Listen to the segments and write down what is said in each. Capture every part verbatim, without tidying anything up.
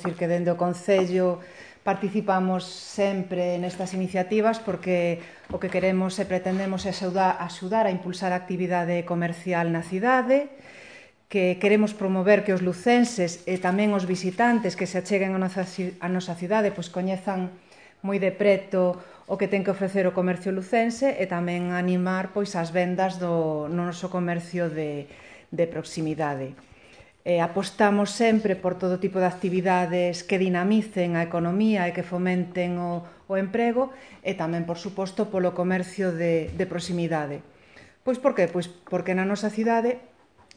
Dicir que dende o Concello participamos sempre nestas iniciativas porque o que queremos e pretendemos é axudar a impulsar a actividade comercial na cidade, que queremos promover que os lucenses e tamén os visitantes que se acheguen a nosa, a nosa cidade pois coñezan moi de preto o que ten que ofrecer o comercio lucense e tamén animar pois as vendas do no noso comercio de, de proximidade. Eh, apostamos sempre por todo tipo de actividades que dinamicen a economía e que fomenten o, o emprego e tamén, por suposto, polo comercio de, de proximidade. Pois por que? Pois porque na nosa cidade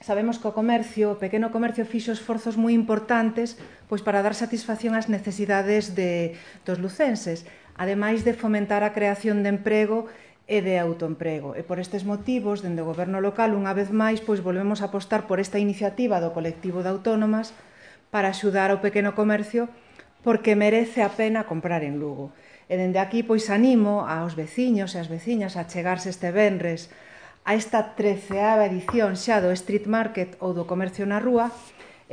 sabemos que o comercio, o pequeno comercio fixo esforzos moi importantes pois para dar satisfacción ás necesidades de, dos lucenses, ademais de fomentar a creación de emprego e de autoemprego. E por estes motivos, dende o goberno local, unha vez máis, pois volvemos a apostar por esta iniciativa do colectivo de autónomas para axudar ao pequeno comercio porque merece a pena comprar en Lugo. E dende aquí, pois animo aos veciños e ás veciñas a chegarse este venres a esta treceava edición xa do Street Market ou do comercio na rúa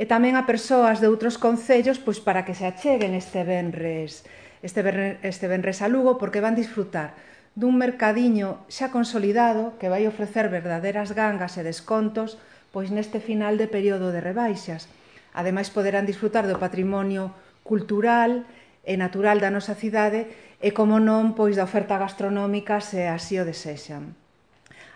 e tamén a persoas de outros concellos pois para que se acheguen este venres, este venres, este venres a Lugo porque van disfrutar dun mercadiño xa consolidado que vai ofrecer verdaderas gangas e descontos pois neste final de período de rebaixas. Ademais poderán disfrutar do patrimonio cultural e natural da nosa cidade e, como non, pois da oferta gastronómica se así o desexan.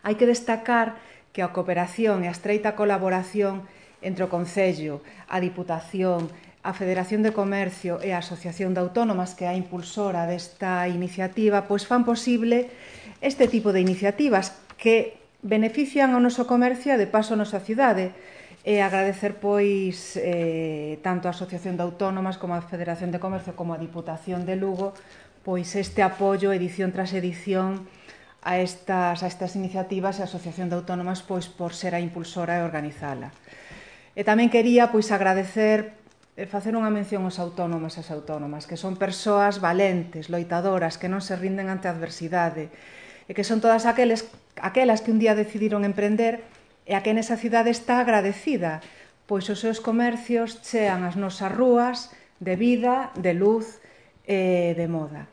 Hai que destacar que a cooperación e a estreita colaboración entre o Concello, a Diputación, a Federación de Comercio e a Asociación de Autónomas, que é a impulsora desta iniciativa, pois fan posible este tipo de iniciativas que benefician ao noso comercio e de paso a nosa cidade. E agradecer pois eh, tanto a Asociación de Autónomas como a Federación de Comercio como a Diputación de Lugo pois este apoio edición tras edición a estas, a estas iniciativas e a Asociación de Autónomas pois por ser a impulsora e organizala. E tamén quería pois agradecer e facer unha mención aos autónomos e as autónomas, que son persoas valentes, loitadoras, que non se rinden ante a adversidade, e que son todas aqueles, aquelas que un día decidiron emprender e a que nesa cidade está agradecida, pois os seus comercios chean as nosas rúas de vida, de luz e de moda.